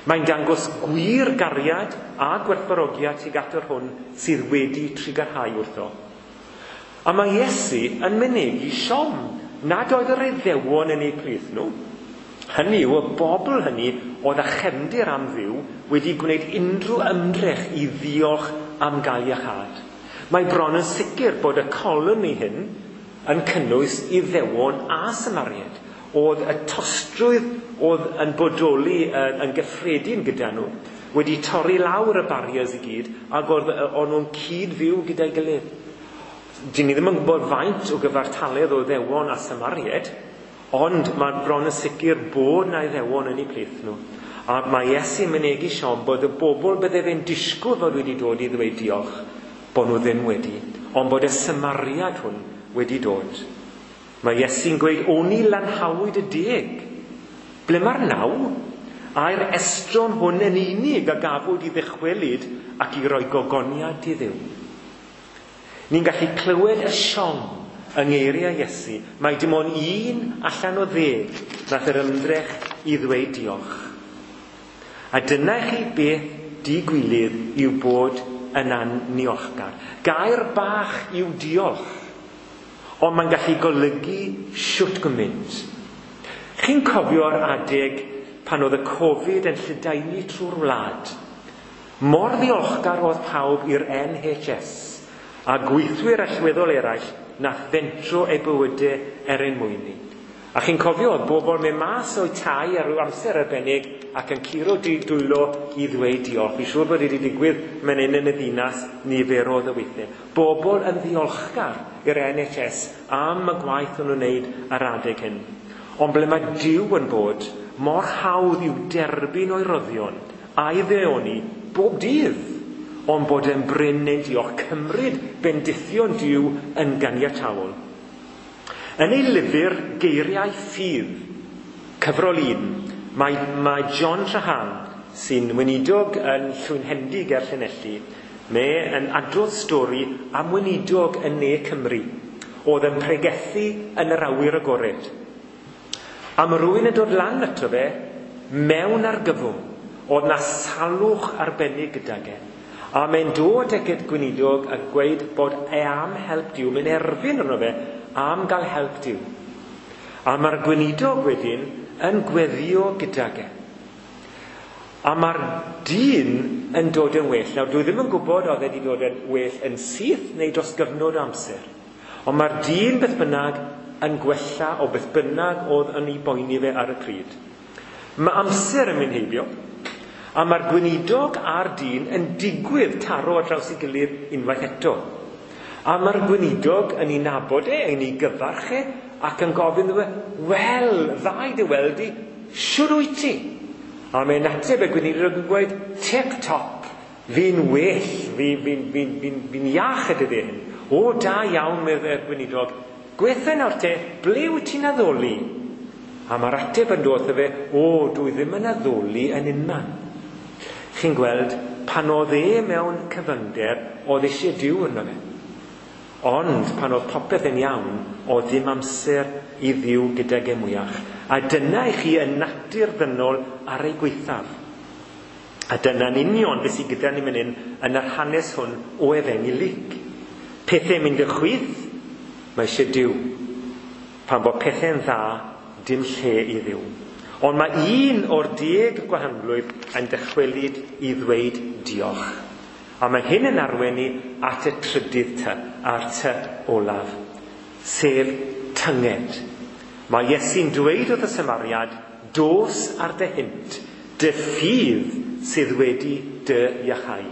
Mae'n dangos gwir gariad a gwerthfawrogiad tuag at yr hwn sydd wedi trugarhau wrtho. A mae Iesu yn mynegi siom nad oedd yr Iddewon yn eu plith nhw. Hynny yw, y bobl hynny oedd â chefndir am Dduw wedi gwneud unrhyw ymdrech i ddiolch am gael iachâd. Mae bron yn sicr bod y coloni hyn yn cynnwys Iddewon a Samariad. Oedd y tostrwydd oedd yn bodoli yn gyffredin gyda nhw wedi torri lawr y barriers i gyd, ac oedd o'n nhw'n cyd-fyw gyda'i gilydd. Dyn ni ddim yn gwybod faint o gyfartaledd o Iddewon a Samariad, ond mae bron yn sicr bod na Iddewon yn eu plith nhw. A mae Iesu'n mynegi siom bod y bobl bydde fe'n disgwyl fod wedi dod i ddweud diolch, bod nhw ddim wedi, ond bod y Samariad hwn wedi dod. Mae Iesu'n gweud, oni lanhawyd y 10. Ble mae'r 9? A'r estron hwn yn unig a gafwyd i ddychwelyd ac i roi gogoniad i Dduw. Ni'n gallu clywed y siom yng ngeiriau Iesu. Mae dim ond 1 allan o 10 Nath yr ymdrech i ddweud diolch. A dyna chi beth digwilydd yw bod yn anniolchgar. Gair bach yw diolch, ond mae'n gallu golygu shwt gymaint. Chi'n cofio'r adeg pan oedd y Covid yn lledaenu trwy'r wlad? Mor ddiolchgar oedd pawb i'r NHS a gweithwyr allweddol eraill nath fentro eu bywydau er ein mwyn ni. A chi'n cofio oedd bobl mynd mas o'u tai ar ryw amser arbennig ac yn curo dwylo i ddweud diolch. Fi'n siŵr bod wedi digwydd mewn un yn y ddinas niferoedd o weithiau. Bobl yn ddiolchgar i'r NHS am y gwaith o'n nhw'n wneud ar adeg hyn. Ond ble mae Duw yn bod, mor hawdd i'w derbyn o'i roddion a'i ddeoni bob dydd, ond bod e'n brin ein diolch, cymryd bendithion Duw yn ganiataol. Yn ei lyfr Geiriau Ffydd, cyfrol 1, mae John Trahan, sy'n weinidog yn Llwynhendy ger Llanelli, mae yn adrodd stori am weinidog yn Ne Cymru, oedd yn pregethu yn yr awyr agored. A mae rhywun yn dod lan ato fe mewn argyfwng, oedd na salwch arbennig gydag e. A mae'n dod ag y gweinidog a gweud bod e am help Duw, mae'n erfyn arno fe am gael help Duw. A mae'r gweinidog wedyn yn gweddio gydag e. A mae'r dyn yn dod yn well. Nawr, dwi ddim yn gwybod oedd e wedi dod yn well yn syth neu dros gyfnod o amser. Ond mae'r dyn beth bynnag yn gwella o beth bynnag oedd yn ei boeni fe ar y pryd. Mae amser yn mynd heibio, a mae'r gweinidog a'r dyn yn digwydd taro ar draws ei gilydd unwaith eto. A mae'r gweinidog yn ei nabod e, yn ei gyfarch e, ac yn gofyn iddo fe, wel, dda i dy weld i, shwd wyt ti? A mae'n ateb y gweinidog yn gweud, tip top, fi'n well, fi'n iach y dyddiau hyn. O, da iawn, meddai'r gweinidog, gweithio nawr te, ble wyt ti'n addoli? A mae'r ateb yn dod fe, o, dwi ddim yn addoli yn unman. Chi'n gweld, pan oedd e mewn cyfyngder, oedd eisiau Duw arno fe. Ond pan oedd popeth yn iawn, oedd ddim amser i Dduw gydag e mwyach. A dyna i chi y natur ddynol ar ei gwaethaf. A dyna'n union beth sydd gyda ni fan hyn yn yr hanes hwn o Efengyl Luc. Pethau'n mynd y chwith, mae eisiau Duw. Pan bod pethau'n dda, dim lle i Dduw. Ond mae un o'r 10 gwahanglwyf yn dychwelyd i ddweud diolch. A mae hyn yn arwain ni at y trydydd ty, a'r ty olaf, sef tynged. Mae Iesu'n dweud wrth y Samariad, dos ar dy hynt, dy ffydd sydd wedi dy iachau.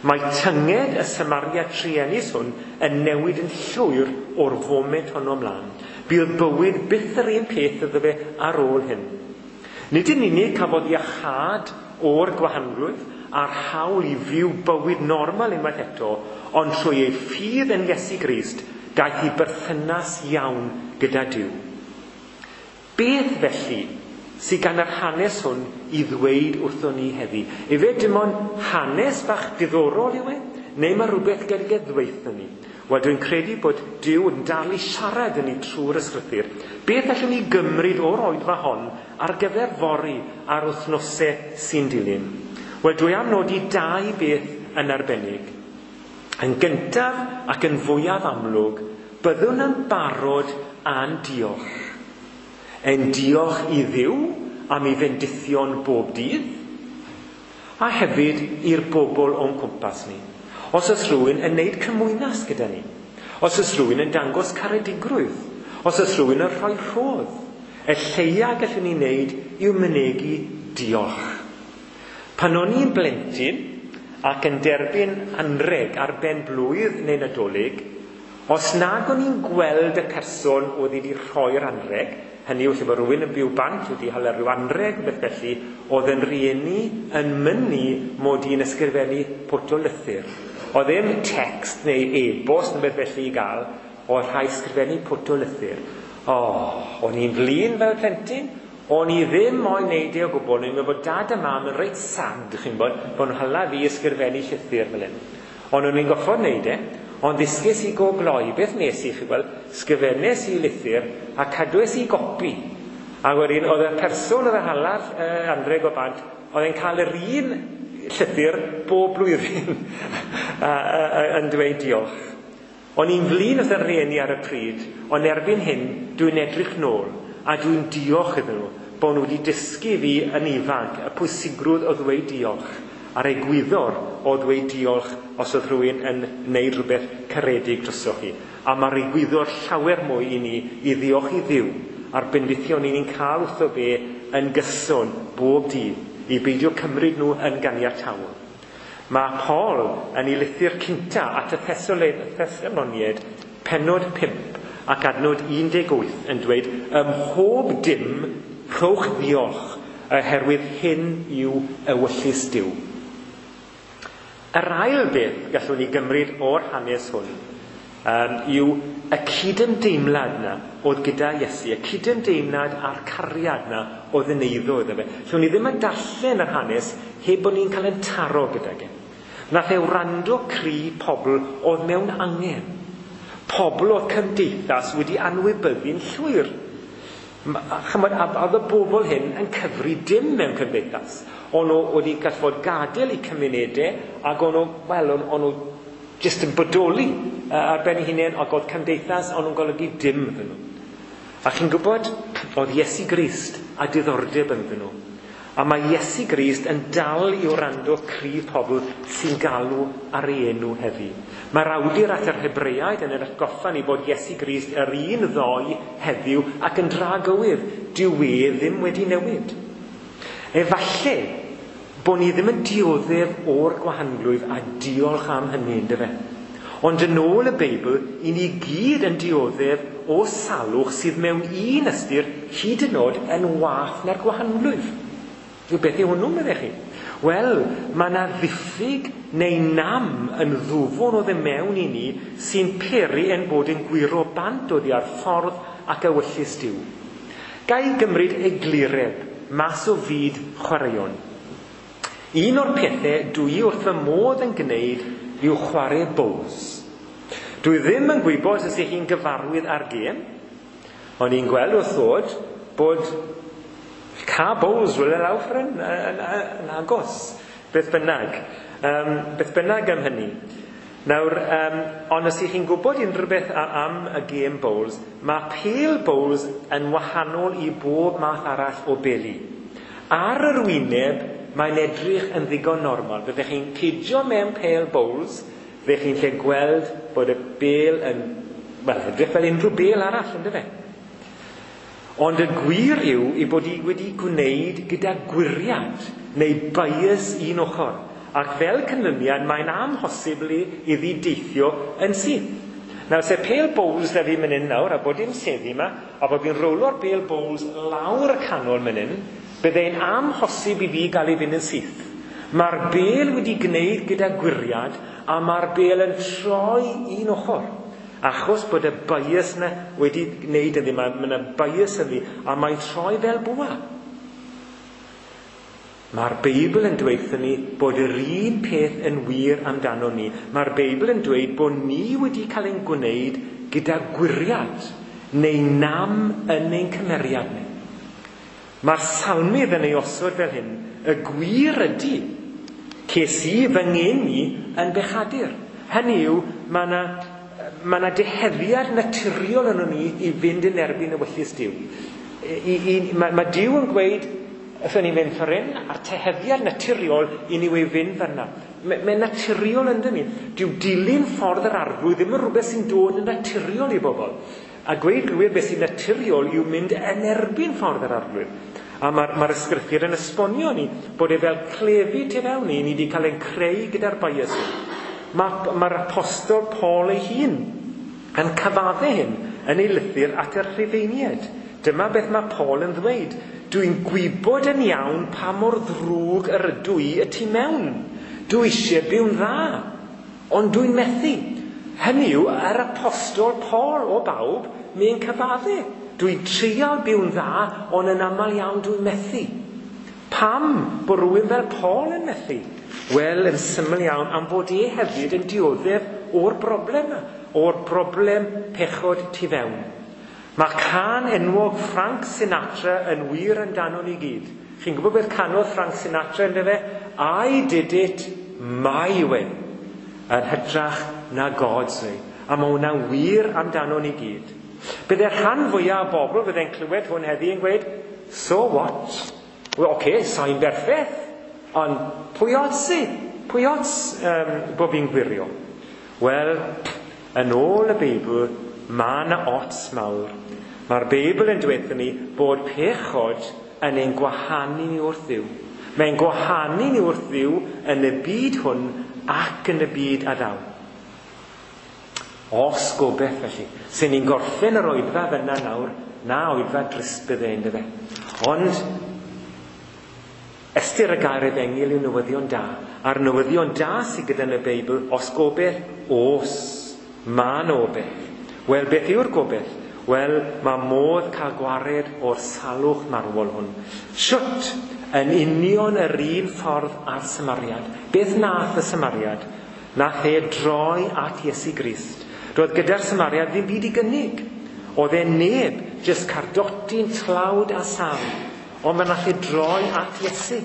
Mae tynged y Samariad truenus hwn yn newid yn llwyr o'r foment honno ymlaen. Bydd bywyd byth yr un peth iddo fe ar ôl hyn. Nid yn unig cafodd iachâd o'r gwahanglwyf a'r hawl i fyw bywyd normal unwaith eto, ond trwy ei ffydd yn Iesu Grist, daeth i berthynas iawn gyda Duw. Beth felly sydd gan yr hanes hwn i ddweud wrthon ni heddi? Efe dim ond hanes bach diddorol yw e? Neu mae rhywbeth gyda ddweud ni? Wel, dwi'n credu bod Duw yn dal i siarad yn ni trwy'r ysgrythur. Beth allwn ni gymryd o'r oedfa hon ar gyfer fory a'r wythnosau sy'n dilyn? Wel, dwi am nodi dau beth yn arbennig. Yn gyntaf ac yn fwyaf amlwg, byddwn yn barod a'n diolch. Ein diolch i Dduw am ei fendithion bob dydd, a hefyd i'r bobl o'n cwmpas ni. Os oes rhywun yn neud cymwynas gyda ni, os oes rhywun yn dangos caredigrwydd, os oes rhywun yn rhoi rhodd, y lleia gallwn ni wneud yw mynegi diolch. Pan o'n i'n blentyn ac yn derbyn anreg ar ben blwydd neu Nadolig, os nag o'n i'n gweld y person oedd wedi rhoi'r anreg, hynny yw lle bod rhywun yn byw bant wedi hala rhyw anreg beth felly, oedd yn rieni yn mynnu mod i'n ysgrifennu pwt o lythyr. Oedd ddim text neu e-bost neu beth felly i gael, oedd rhaid ysgrifennu pwt o lythyr. O, o'n i'n flin fel plentyn, o'n i ddim moyn neud e o gwbl, o'n i'n meddwl bod dad a mam yn reit sad, chi'n bod, bod nhw'n hala fi ysgrifennu llythyr fel hyn. Ond o'n i'n goffod neud e, ond ddysges i go gloi, beth nes i, chi'n gweld, sgrifennes i lythyr a cadwes i gopi. A wedyn, oedd y person oedd yn hala'r anreg o bant, oedd e'n cael yr un llythyr bob blwyddyn yn dweud diolch. O'n i'n flin wrth y rhieni ar y pryd, ond erbyn hyn dwi'n edrych nôl a dwi'n diolch iddyn nhw bod nhw wedi dysgu fi yn ifanc y pwysigrwydd o ddweud diolch a'r egwyddor o ddweud diolch os oedd rhywun yn wneud rhywbeth caredig drosoch chi. A mae'r egwyddor llawer mwy i ni i ddiolch i Dduw a'r bendithion ni'n cael wrtho fe yn gyson bob dydd, i beidio cymryd nhw yn ganiataol. Mae Paul yn ei lythyr cynta at y Thessaloniaid, pennod 5 ac adnod 18 yn dweud, ym mhob dim rhowch ddiolch, oherwydd hyn yw ewyllys Duw. Yr ail beth gallwn ni gymryd o'r hanes hwn yw y cydymdeimlad na oedd gyda Iesu, y cydymdeimlad a'r cariad na oedd yn eiddo iddo fe. Lle ni ddim yn darllen yr hanes heb bod ni'n cael ein taro gydag e. Nath e wrando cri pobl oedd mewn angen. Pobl oedd cymdeithas wedi anwybyddu'n llwyr. Chymod, oedd y bobl hyn yn cyfri dim mewn cymdeithas. O'n nhw wedi gallu fod gadael eu cymunedau ac o'n nhw, wel, o'n nhw jyst yn bodoli ar ben eu hunain, ac oedd cymdeithas o'n nhw'n golygu dim iddyn nhw. A chi'n gwybod, oedd Iesu Grist a diddordeb ynddyn nhw. A mae Iesu Grist yn dal i wrando cri pobl sy'n galw ar ei enw heddi. Mae'r awdur at yr Hebreaid yn ein atgoffa ni bod Iesu Grist yr un ddoe heddiw ac yn dragywydd. Dyw e ddim wedi newid. Efallai bod ni ddim yn dioddef o'r gwahanglwyf a diolch am hynny, yndyfe? Ond yn ôl y Beibl, i ni gyd yn dioddef o salwch sydd mewn un ystyr hyd yn oed yn wath na'r gwahanglwyf. Beth yw hwnnw, meddech chi? Wel, mae yna ddiffyg neu nam yn ddwfwn o ddim mewn i ni sy'n peri ein bod yn gwyro bant oddi ar ffordd ac ewyllys Duw. Ga i gymryd eglureb mas o fyd chwaraeon. Un o'r pethau dwi wrth fy modd yn gwneud yw chwarae bowls. Dwi ddim yn gwybod os ych chi'n gyfarwydd â'r gêm, ond i'n gweld wrth ddod bod ca bowls rhywle lawr ffordd yn agos, beth bynnag. Beth bynnag am hynny. Nawr, ond os ych chi'n gwybod unrhyw beth am y gêm bowls, mae pêl bowls yn wahanol i bob math arall o beli. Ar yr wyneb, mae'n edrych yn ddigon normal. Byddech chi'n cydio mewn pêl bowls, fyddech chi'n lle gweld bod y bêl yn, wel, edrych fel unrhyw bêl arall, yndyfe? Ond y gwir yw ei bod hi wedi gwneud gyda gwiriad neu bias un ochr. Ac fel canlyniad, mae'n amhosibl iddi deithio yn syth. Nawr, se pêl bowls da fi mynd hyn nawr, a bod dim seddi yma, a bod fi'n rowlo'r bêl bowls lawr y canol mynd hyn, byddai'n amhosib i fi gael ei fynd yn syth. Mae'r bêl wedi gwneud gyda gwiriad, a mae'r bêl yn troi un ochr. Achos bod y bias yna wedi gwneud ynddi, mae yna bias ynddi, a mae'n troi fel bwa. Mae'r Beibl yn dweud wrthon ni bod yr un peth yn wir amdano ni. Mae'r Beibl yn dweud bod ni wedi cael ein gwneud gyda gwiriad neu nam yn ein cymeriad ni. Mae'r salmydd yn ei osod fel hyn, y gwir ydy, ces i fy ngeni yn bechadur. Hynny yw, mae yna deheddiad naturiol yno ni i fynd yn erbyn ewyllys Duw. Mae Duw yn gweud, wrthon ni'n mynd ffordd hyn, a'r teheddiad naturiol i ni wei fynd fan'na. Mae'n naturiol ynddo ni. Dyw dilyn ffordd yr arglwydd ddim yn rhywbeth sy'n dod yn naturiol i bobl. A gweud gwir beth sy'n naturiol yw mynd yn erbyn ffordd yr arglwydd. A mae'r ysgrythur yn esbonio ni bod e fel clefyd tu fewn ni, ni wedi cael ein creu gyda'r bias hwn. Mae'r apostol Paul ei hun yn cyfadde hyn yn ei lythyr at y Rhufeiniaid. Dyma beth mae Paul yn ddweud. Dwi'n gwybod yn iawn pa mor ddrwg yr ydw i y tu mewn. Dwi eisiau byw'n dda, ond dwi'n methu. Hynny yw, yr apostol Paul o bawb, mae'n cyfadde. Dwi'n treial byw'n dda, ond yn aml iawn dwi'n methu. Pam bod rhywun fel Paul yn methu? Wel, yn syml iawn, am fod e hefyd yn dioddef o'r broblem yma, o'r broblem pechod tu fewn. Mae cân enwog Frank Sinatra yn wir amdano ni gyd. Chi'n gwybod beth canodd Frank Sinatra yn fe? "I did it my way." Yn hytrach na God's way. A mae hwnna'n wir amdano ni gyd. Bydde'r rhan fwyaf o bobl fydde'n clywed hwn heddi yn gweud, "So what? Well, okay, sa'n berffaith, ond pwy ots i? Pwy ots bod fi'n gwirio?" Wel, yn ôl y Beibl, mae yna ots mawr. Mae'r Beibl yn dweud ni bod pechod yn ein gwahanu ni wrth Dduw. Mae'n gwahanu ni wrth Dduw yn y byd hwn ac yn y byd a ddaw. Os gobeith felly. Sy'n ni'n gorffen yr oedfa fyna nawr, na oedfa drist bydde un fe. Ond ystyr y gair efengyl yw newyddion da. A'r newyddion da sydd gyda yn y Beibl, os gobeith, os, mae 'na obeith. Wel, beth yw'r gobeith? Wel, mae modd cael gwared o'r salwch marwol hwn. Shwt? Yn union yr un ffordd â'r Samariad. Beth nath y Samariad? Nath e droi at Iesu Grist. Roedd gyda'r Samariad ddim byd i gynnig. Oedd e neb, jyst cardotyn tlawd a sâl. Ond fe nath e droi at Iesu.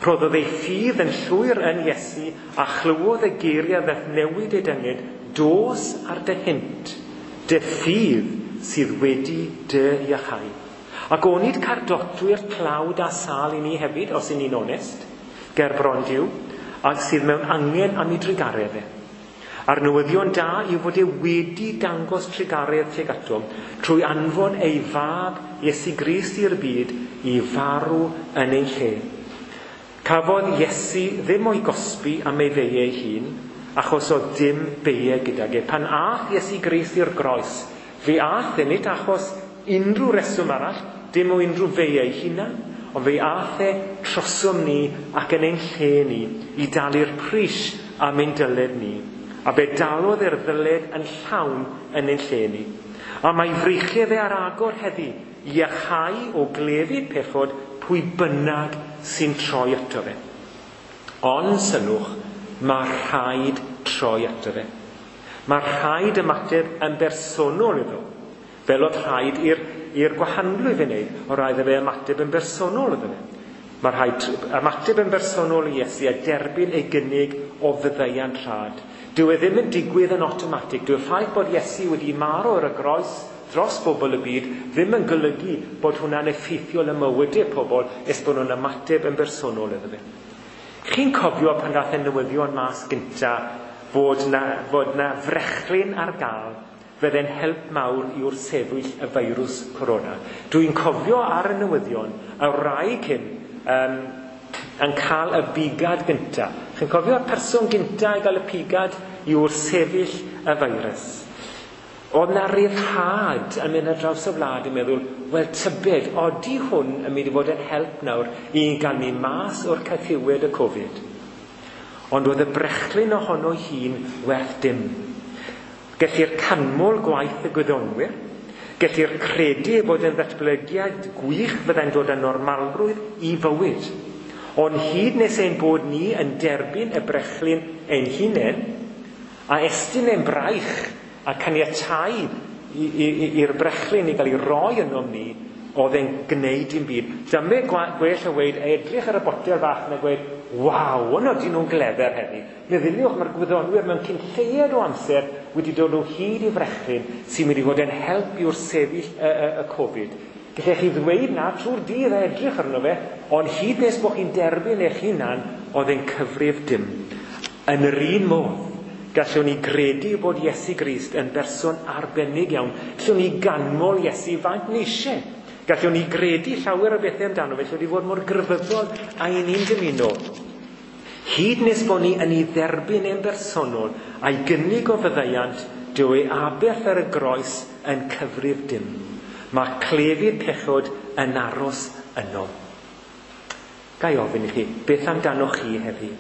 Rhoddodd ei ffydd yn llwyr yn Iesu a chlywodd y geiriau ddaeth newid ei dynged, "Dos ar dy hynt, dy ffydd sydd wedi dy iachau." Ac onid cardotwyr tlawd a sâl i ni hefyd, os y'n ni'n onest, ger bron Duw, ac sydd mewn angen am ei drugaredd e. A'r newyddion da yw fod e wedi dangos trugaredd tuag atom trwy anfon ei fab Iesu Grist i'r byd i farw yn ein lle. Cafodd Iesu ddim o'i gosbi am ei feiau ei hun, achos oedd dim beiau gydag e. Pan ath Iesu Grist i'r groes, fe ath e nid achos unrhyw reswm arall, dim o unrhyw feiau ei hunan, ond fe ath e trosom ni ac yn ein lle ni i dalu'r pris am ein dyled ni. A fe dalodd e'r ddyled yn llawn yn ein lle ni. A mae freichiau fe ar agor heddi i iachau o glefyd pechod pwy bynnag sy'n troi ato fe. Ond sylwch, mae rhaid troi ato fe. Mae rhaid ymateb yn bersonol iddo. Fel oedd rhaid i'r gwahanglwyf ei wneud, o rhaid fe ymateb yn bersonol iddo fe. Mae rhaid ymateb yn bersonol i Iesu a derbyn ei gynnig o faddeuant rhad. Dyw e ddim yn digwydd yn awtomatig. Dyw'r ffaith bod Iesu wedi marw ar y groes dros bobl y byd ddim yn golygu bod hwnna'n effeithiol ym mywydau pobl nes bod nhw'n ymateb yn bersonol iddo fe. Chi'n cofio pan ddaeth y newyddion mas gynta fod na frechlyn ar gael fydde'n help mawr i wrthsefyll y feirws corona. Dwi'n cofio ar y newyddion y wraig hyn yn cael y bigad gynta. Chi'n cofio'r person gynta i gael y pigad i wrthsefyll y feirws. Oedd na ryddhad yn mynd ar draws y wlad yn meddwl, wel tybed, odi hwn yn mynd i fod yn help nawr i gael ni mas o'r caethiwed y Covid. Ond oedd y brechlyn ohono hun werth dim. Gellir canmol gwaith y gwyddonwyr, gellir credu bod yn ddatblygiad gwych fyddai'n dod â normalrwydd i fywyd. Ond hyd nes ein bod ni yn derbyn y brechlyn ein hunain, a estyn ein braich a caniatáu i'r brechlyn i gael ei roi ynom ni, oedd e'n gwneud dim byd. Dyma gwell o weud, edrych ar y botel fach na gweud, "Waw, ond ydyn nhw'n glefer heddi. Meddyliwch, mae'r gwyddonwyr mewn cyn lleied o amser wedi dod o hyd i frechlyn sy'n mynd i fod yn help i wrthsefyll y Covid." Gallech chi ddweud na trwy'r dydd a edrych arno fe, ond hyd nes bod chi'n derbyn eich hunan, oedd e'n cyfrif dim. Yn yr un modd, gallwn ni gredu bod Iesu Grist yn berson arbennig iawn. Gallwn ni ganmol Iesu faint ni eisiau. Gallwn ni gredu llawer o bethau amdano fe, gallwn ni fod mor grefyddol a i ni'n dymuno. Hyd nes bod ni yn ei dderbyn e'n bersonol a'i gynnig o faddeuant, dyw ei aberth ar y groes yn cyfrif dim. Mae clefyd pechod yn aros yno. Ga i ofyn i chi, beth amdanoch chi heddi?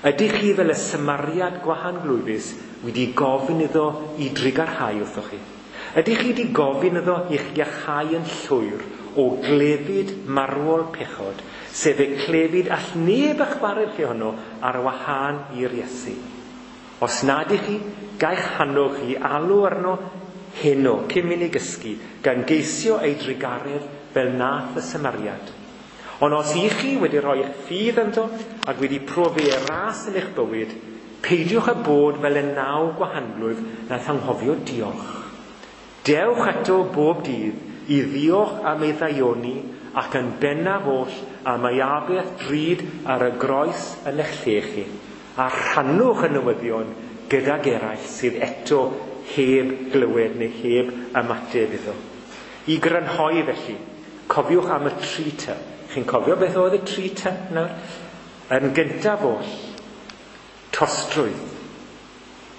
Ydych chi fel y Samariad gwahanglwyfus wedi gofyn iddo i drugarhau wrthoch chi? Ydych chi wedi gofyn iddo i'ch iachau yn llwyr o glefyd marwol pechod, sef y clefyd all neb eich gwared chi honno ar wahân i'r Iesu? Os nad ych chi, gai'ch hannog chi alw arno heno cyn mynd i gysgu, gan geisio ei drugaredd fel nath y Samariad. Ond os i chi wedi rhoi eich ffydd ynddo ac wedi profi ei ras yn eich bywyd, peidiwch â bod fel y 9 gwahanglwyf nath anghofio diolch. Dewch ato bob dydd i ddiolch am ei ddaioni ac yn bennaf oll am ei aberth drud ar y groes yn eich lle chi, a rhannwch y newyddion gydag eraill sydd eto heb glywed neu heb ymateb iddo. I grynhoi felly, cofiwch am y 3 T. Chi'n cofio beth oedd y 3 T nawr? Yn gyntaf oll, tostrwydd.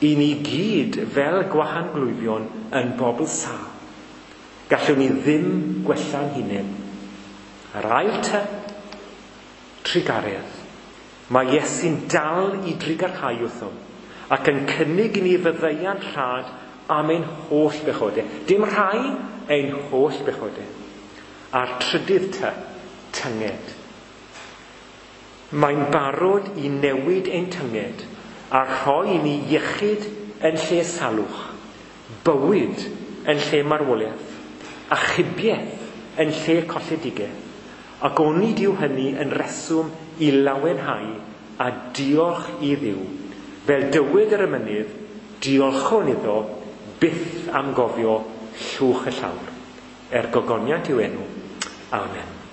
I ni gyd fel gwahanglwyfion yn bobl sâl. Gallwn ni ddim gwella'n hunain. Yr ail T, trugaredd. Mae Iesu'n dal i drugarhau wrthom ac yn cynnig i ni faddeuant rhad am ein holl bechodau. Dim rhai, ein holl bechodau. A'r trydydd T, tynged. Mae'n barod i newid ein tynged a rhoi i ni iechyd yn lle salwch, bywyd yn lle marwolaeth, achubiaeth yn lle colledigaeth. Ac onid yw hynny yn reswm i lawenhau a diolch i Dduw. Fel dywed yr emynydd, diolchwn iddo byth am gofio llwch y llawr. Er gogoniant i'w enw. Amen.